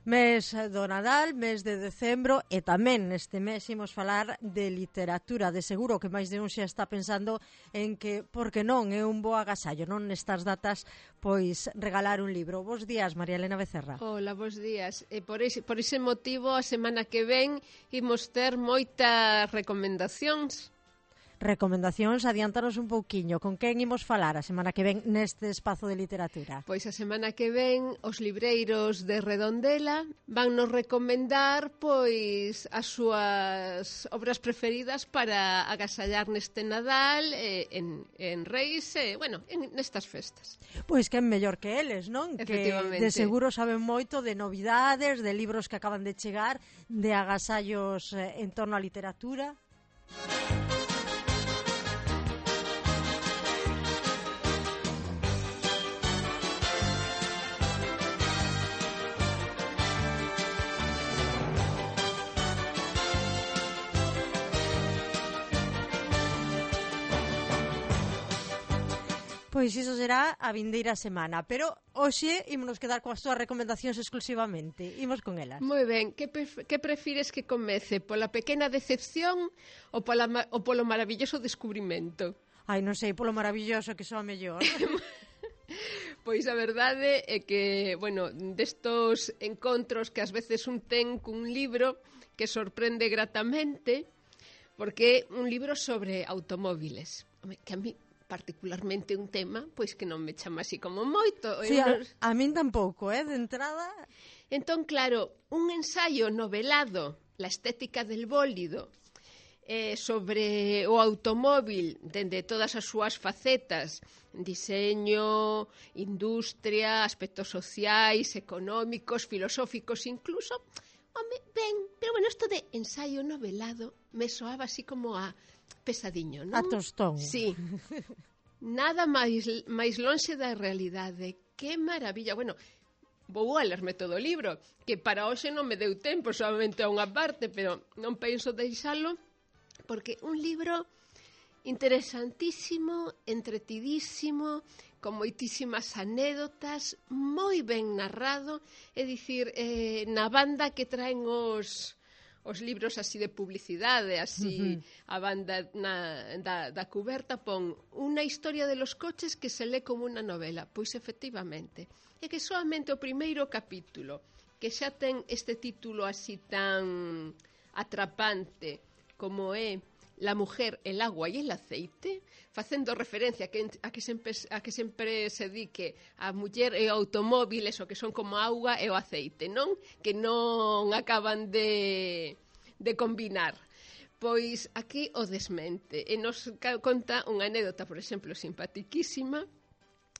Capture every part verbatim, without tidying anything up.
Mes do Nadal, mes de decembro, e tamén neste mes imos falar de literatura. De seguro que máis de un xa está pensando en que, por que non, é un bo agasallo, non nestas datas, pois regalar un libro. Bos días, María Elena Becerra. Hola, bos días. E por ese, por ese motivo, a semana que ven imos ter moitas recomendacións. Recomendacións, adiantanos un pouquiño. Con quen imos falar a semana que ven neste espazo de literatura? Pois a semana que ven os libreiros de Redondela van nos recomendar pois as súas obras preferidas para agasallar neste Nadal, eh, en, en Reis, e, eh, bueno, en nestas festas. Pois quen mellor que eles, non? Que de seguro saben moito de novidades, de libros que acaban de chegar, de agasallos eh, en torno á literatura. Pois iso será a vindeira semana, pero hoxe ímonos quedar coas túas recomendacións exclusivamente. Imos con elas. Moi ben, que, pref que prefires que comece? Pola pequena decepción ou, pola, ou polo maravilloso descubrimento? Ai, non sei, polo maravilloso que soa mellor. Pois a verdade é que, bueno, destos encontros que ás veces un ten cun libro que sorprende gratamente, porque é un libro sobre automóviles, que a mí particularmente un tema, pois que non me chama así como moito. Sí, a, a min tampouco, eh, de entrada. Entón, claro, un ensaio novelado, La estética del bólido, eh, sobre o automóvil, dende todas as súas facetas, diseño, industria, aspectos sociais, económicos, filosóficos incluso, home, ben, pero bueno, isto de ensaio novelado me soaba así como a pesadiño, non? A tostón. Sí. Nada máis, máis lonxe da realidade. Que maravilla. Bueno, vou a lerme todo o libro, que para hoxe non me deu tempo, solamente a unha parte, pero non penso deixalo, porque un libro interesantísimo, entretidísimo, con moitísimas anécdotas, moi ben narrado, é dicir, eh, na banda que traen os... os libros así de publicidade, así, uh-huh. A banda na, da, da cuberta pon unha historia de los coches que se lee como unha novela. Pois efectivamente, é que solamente o primeiro capítulo, que xa ten este título así tan atrapante como é La mujer, el agua y el aceite, facendo referencia a que, a que, sempre, a que sempre se di que a muller e o automóvil, eso que son como a auga e o aceite, non? Que non acaban de, de combinar. Pois aquí o desmente. E nos conta unha anécdota, por exemplo, simpaticísima,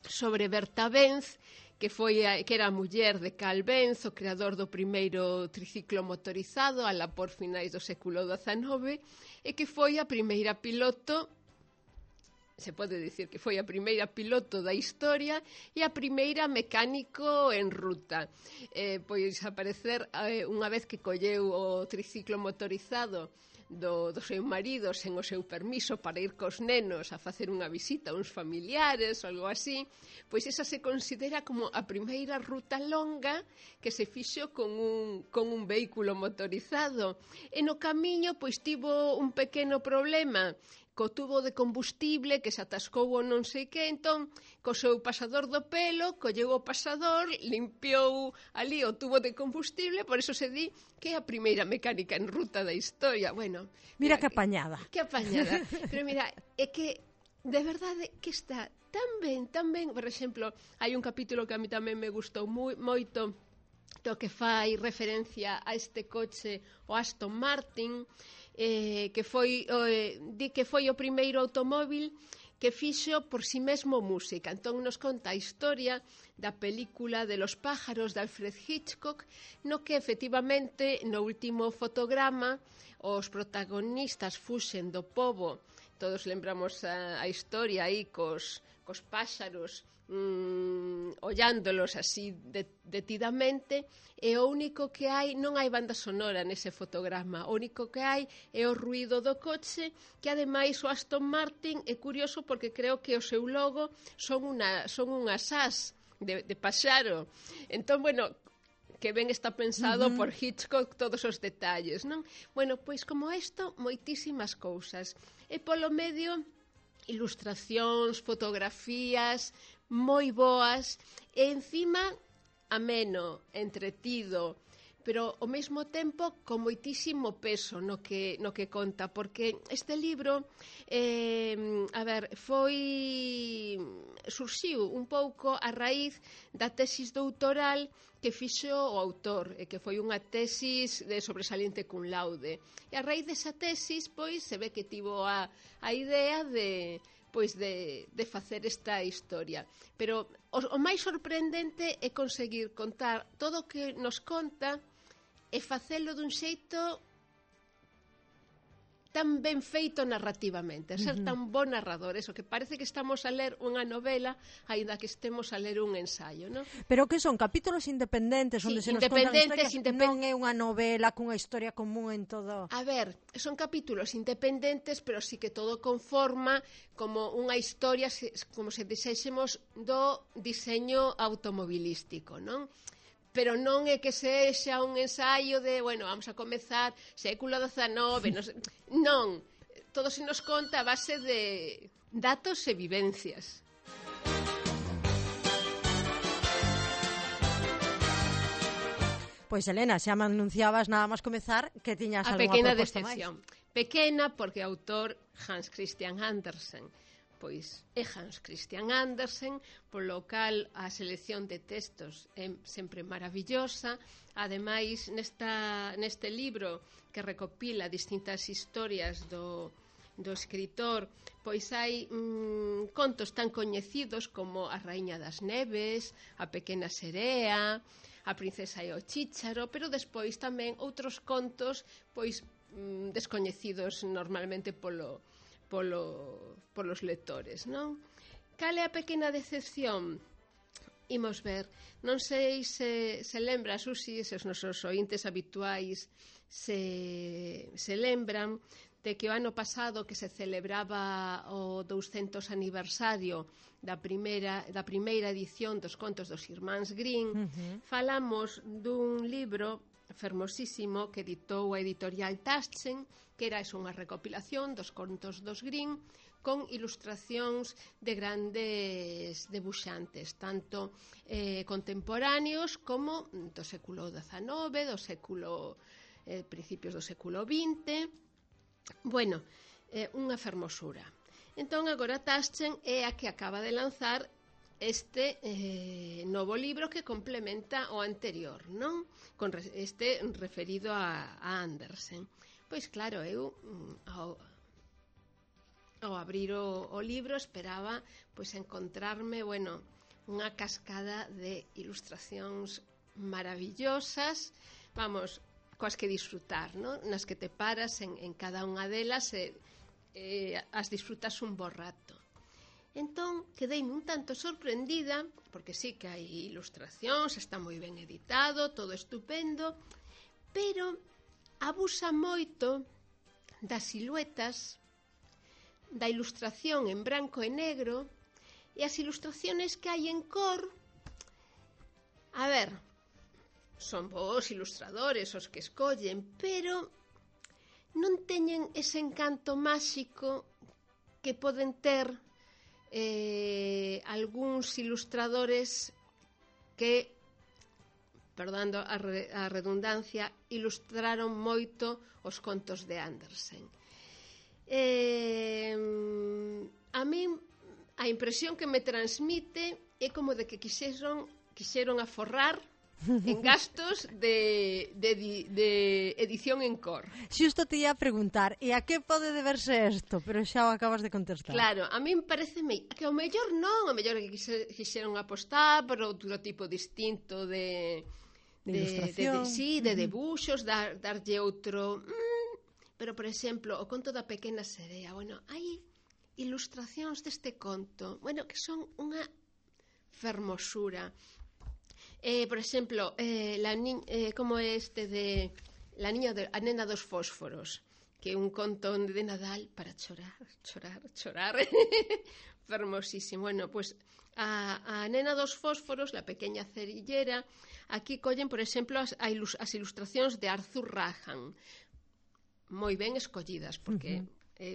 sobre Berta Benz, que foi a, que era a muller de Carl Benz, o creador do primeiro triciclo motorizado, alá por finais do século dezanove, e que foi a primeira piloto, se pode dicir que foi a primeira piloto da historia e a primeira mecánico en ruta. Eh, pois aparecer eh, unha vez que colleu o triciclo motorizado do, do seu marido sen o seu permiso para ir cos nenos a facer unha visita a uns familiares ou algo así, pois esa se considera como a primeira ruta longa que se fixo con un, con un vehículo motorizado. E no camiño pois tivo un pequeno problema co tubo de combustible que se atascou ou non sei que, entón, co seu pasador do pelo, colleu o pasador, limpiou ali o tubo de combustible, por eso se di que é a primeira mecánica en ruta da historia. Bueno, mira, mira que apañada. Que apañada. Pero mira, é que de verdade que está tan ben, tan ben. Por exemplo, hai un capítulo que a mí tamén me gustou moi, moito, do que fai referencia a este coche, o Aston Martin, eh, que foi eh, di que foi o primeiro automóvil que fixo por si mesmo música. Entón nos conta a historia da película de los pájaros de Alfred Hitchcock, no que efectivamente no último fotograma os protagonistas fuxen do pobo. Todos lembramos a, a historia aí cos, cos páxaros mm, ollándolos así de, detidamente, e o único que hai, non hai banda sonora nese fotograma, o único que hai é o ruído do coche, que ademais o Aston Martin é curioso porque creo que o seu logo son, una, son unhas as de, de paxaro. Entón, bueno, que ben está pensado Uh-huh. por Hitchcock todos os detalles, non? Bueno, pois como isto, moitísimas cousas. E polo medio, ilustracións, fotografías moi boas, e encima ameno, entretido, pero ao mesmo tempo con moitísimo peso no que, no que conta, porque este libro, eh, a ver, foi surxiu un pouco a raíz da tesis doutoral que fixo o autor, e que foi unha tesis de sobresaliente cum laude. E a raíz desa tesis, pois, se ve que tivo a, a idea de pois de, de facer esta historia. Pero o, o máis sorprendente é conseguir contar todo o que nos conta e facelo dun xeito tan ben feito narrativamente, a ser uh-huh. tan bon narrador, eso que parece que estamos a ler unha novela, aínda que estemos a ler un ensayo, non? Pero que son capítulos independentes, Sí, onde se nos independentes, contan historias, independ... non é unha novela cunha historia común en todo. A ver, son capítulos independentes, pero sí que todo conforma como unha historia, como se dixésemos, do diseño automobilístico, non? Pero non é que sexa un ensaio de, bueno, vamos a comezar século dezenove, non, non, todo se nos conta a base de datos e vivencias. Pois, Elena, xa me anunciabas nada máis comezar que tiñas a algunha pequena proposta decepción. máis. Pequena porque o autor Hans Christian Andersen, pois é Hans Christian Andersen, polo cal a selección de textos é sempre maravillosa. Ademais, nesta, neste libro que recopila distintas historias do, do escritor, pois hai mm, contos tan coñecidos como A Raíña das Neves, A Pequena Serea, A Princesa e o Chícharo, pero despois tamén outros contos pois mm, descoñecidos normalmente polo Polo, polos lectores, non? Cal é a pequena decepción? Imos ver. Non sei se, se lembra, Susi, se os nosos ointes habituais se, se lembran de que o ano pasado que se celebraba o douscentos aniversario da primeira, da primeira edición dos contos dos Irmáns Grimm, uh-huh. falamos dun libro fermosísimo que editou a editorial Taschen, que era unha recopilación dos contos dos Grimm con ilustracións de grandes debuxantes, tanto eh, contemporáneos como do século dezenove, do século eh, principios do século vinte. Bueno, eh, unha fermosura. Entón, agora Taschen é a que acaba de lanzar este eh, novo libro que complementa o anterior, non? Con re, este referido a, a Andersen. Pois claro, eu ao, ao abrir o, o libro esperaba pois encontrarme, bueno, unha cascada de ilustracións maravillosas, vamos, coas que disfrutar, non? Nas que te paras en, en cada unha delas e eh, as disfrutas un bo rato. Entón, quedeime un tanto sorprendida, porque sí que hai ilustracións, está moi ben editado, todo estupendo, pero abusa moito das siluetas, da ilustración en branco e negro, e as ilustraciones que hai en cor, a ver, son bons ilustradores os que escollen, pero non teñen ese encanto máxico que poden ter eh, algúns ilustradores que, perdando a, re, a redundancia, ilustraron moito os contos de Andersen. Eh, a min a impresión que me transmite é como de que quixeron, quixeron aforrar en gastos de, de, de edición en cor. Xusto te ia a preguntar, e a que pode deberse isto? Pero xa o acabas de contestar. Claro, a min parece que ao mellor non, ao mellor que quixeron apostar por outro tipo distinto de... De, de ilustración. De, de, sí, de debuxos, dar, darlle outro... Mm, pero, por exemplo, o conto da Pequena Serea, bueno, hai ilustracións deste conto, bueno, que son unha fermosura. Eh, por exemplo, eh, la ni eh, como este de la niña de, a nena dos fósforos, que é un conto de Nadal para chorar, chorar, chorar, Fermosísimo. Bueno, pois a, a nena dos fósforos, la pequeña cerillera, aquí collen, por exemplo, as, as ilustracións de Arthur Rahan, moi ben escollidas, porque uh-huh. é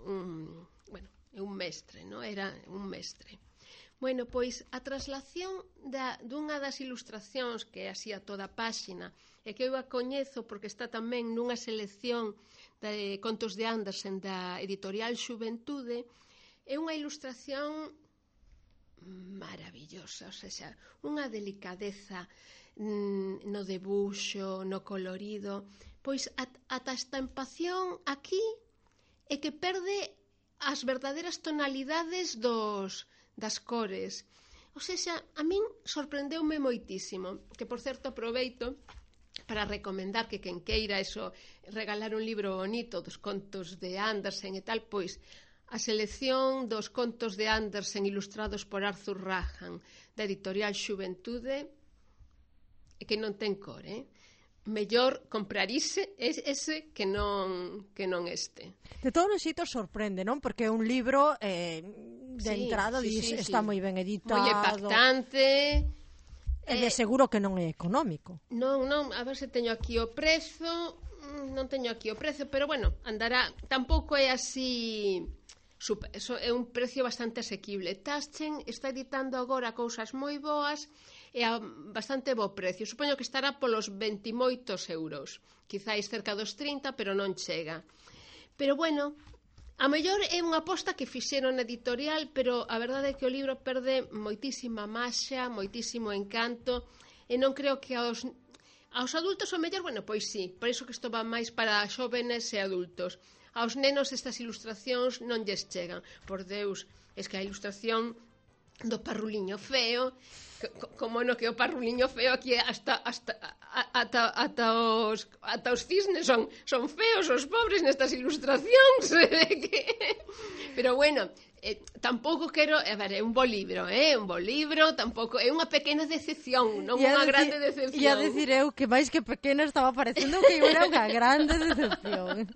un, bueno, é un mestre, non? Era un mestre. Bueno, pois a traslación da, dunha das ilustracións que é así a toda a páxina, e que eu a coñezo porque está tamén nunha selección de contos de Andersen da editorial Xuventude, é unha ilustración maravillosa, o sea, unha delicadeza mm, no debuxo, no colorido, pois ata a estampación aquí é que perde as verdaderas tonalidades dos, das cores. O sea, a min sorprendeume moitísimo, que por certo aproveito para recomendar que quen queira eso, regalar un libro bonito dos contos de Andersen e tal, pois a selección dos contos de Andersen ilustrados por Arthur Rahan da editorial Xuventude, que non ten cor, eh? Mellor comprarise ese que non que non este. De todos os xeitos sorprende, non? Porque é un libro eh, de sí, entrada sí, dis, sí, está sí. moi ben editado, moi impactante. E de seguro que non é económico. Non, non, a ver se teño aquí o prezo, non teño aquí o prezo, pero bueno, andará, tampouco é así. Super, eso é un precio bastante asequible. Taschen está editando agora cousas moi boas e a bastante bo precio. Supoño que estará polos vinte e moitos euros. Quizáis cerca dos trinta, pero non chega. Pero bueno, a mellor é unha aposta que fixeron na editorial, pero a verdade é que o libro perde moitísima maxa, moitísimo encanto, e non creo que aos, aos adultos o mellor, bueno, pois sí, por iso que isto va máis para xóvenes e adultos. Aos nenos estas ilustracións non lles chegan. Por Deus, es que a ilustración do parruliño feo, como no que o parruliño feo aquí hasta hasta ata ata os ata os cisnes son son feos os pobres nestas ilustracións. Pero bueno, eh, tampouco quero, a ver, é un bo libro, é eh, un bo libro, tampouco é unha pequena decepción, non unha decir, grande decepción. E a decir eu que máis que pequena estaba parecendo que era unha grande decepción.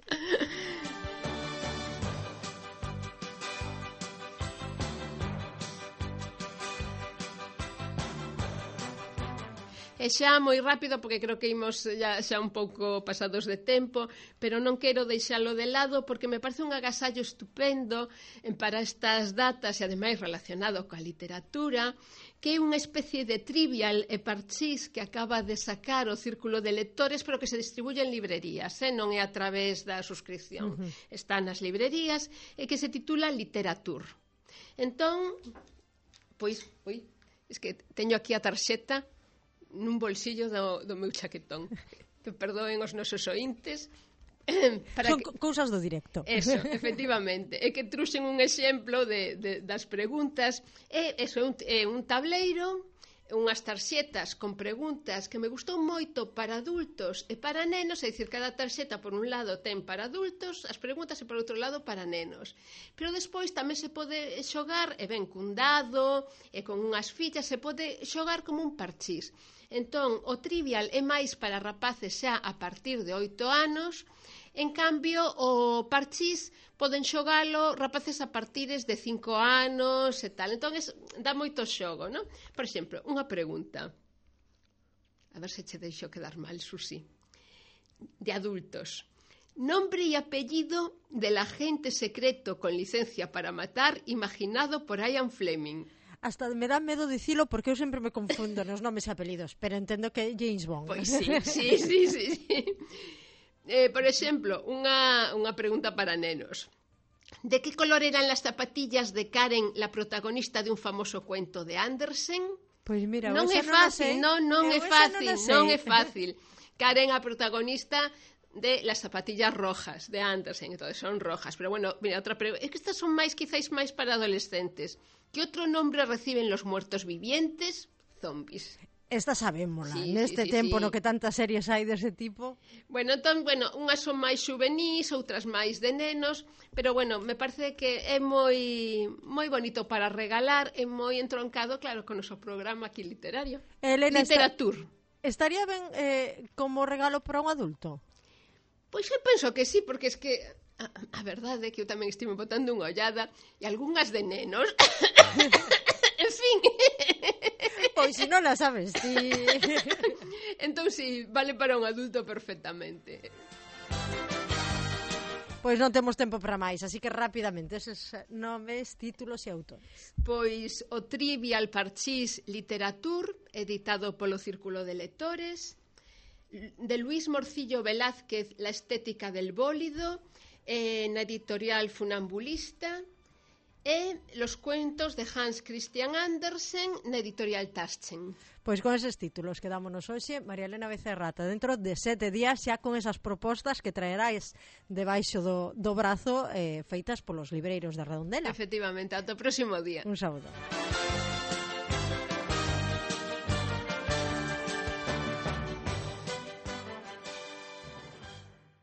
E xa moi rápido, porque creo que imos xa, xa un pouco pasados de tempo, pero non quero deixalo de lado porque me parece un agasallo estupendo para estas datas e ademais relacionado coa literatura, que é unha especie de trivial e parchís que acaba de sacar o Círculo de Lectores, pero que se distribuye en librerías, eh? Non é a través da suscripción. Uh-huh. Está nas librerías e que se titula Literatur. Entón, pois, ui, es que teño aquí a tarxeta nun bolsillo do, do meu chaquetón. Que perdoen os nosos ointes. Para Son que... cousas do directo. Eso, efectivamente. É que truxen un exemplo de, de, das preguntas. É, eso, é un, é un tableiro, unhas tarxetas con preguntas que me gustou moito para adultos e para nenos, é dicir, cada tarxeta por un lado ten para adultos as preguntas e por outro lado para nenos. Pero despois tamén se pode xogar, e ben cun dado e con unhas fichas, se pode xogar como un parchís. Entón, o trivial é máis para rapaces xa a partir de oito anos, en cambio, o parchís poden xogalo rapaces a partires de cinco anos e tal. Entón, es, dá moito xogo, non? Por exemplo, unha pregunta. A ver se che deixo quedar mal, Susi. De adultos. Nombre e apellido del agente secreto con licencia para matar imaginado por Ian Fleming. Hasta me dá medo dicilo porque eu sempre me confundo nos nomes e apelidos, pero entendo que é James Bond. Pois sí, sí, sí, sí, sí. Eh, por exemplo, unha, unha pregunta para nenos. ¿De que color eran las zapatillas de Karen, la protagonista de un famoso cuento de Andersen? Pois mira, non é fácil, non, non é fácil, non é fácil. Karen, a protagonista de las zapatillas rojas de Andersen, entonces son rojas, pero bueno, mira, outra pregunta, es que estas son máis, quizáis máis para adolescentes. ¿Qué otro nombre reciben los muertos vivientes? Zombies. Esta sabémola, sí, neste sí, sí, tempo sí. No que tantas series hai dese tipo. Bueno, entón, bueno, unhas son máis xuvenís, outras máis de nenos, pero bueno, me parece que é moi moi bonito para regalar, é moi entroncado, claro, con o noso programa aquí literario. Elena, Literatur. Esta, estaría ben eh, como regalo para un adulto? Pois eu penso que sí, porque es que A, a verdade é que eu tamén estive botando unha ollada e algunhas de nenos. En fin. Pois se non a sabes ti. Entón, si, vale para un adulto perfectamente. Pois non temos tempo para máis, así que rapidamente eses nomes, títulos e autores. Pois o Trivial Parchís Literatur, editado polo Círculo de Lectores, de Luis Morcillo Velázquez, La estética del bólido, eh, na editorial Funambulista, e Los cuentos de Hans Christian Andersen, na editorial Taschen. Pois con eses títulos quedámonos hoxe, María Elena Becerrata, dentro de sete días xa con esas propostas que traeráis debaixo do, do brazo eh, feitas polos libreiros de Redondela. Efectivamente, ata o próximo día. Un saúdo.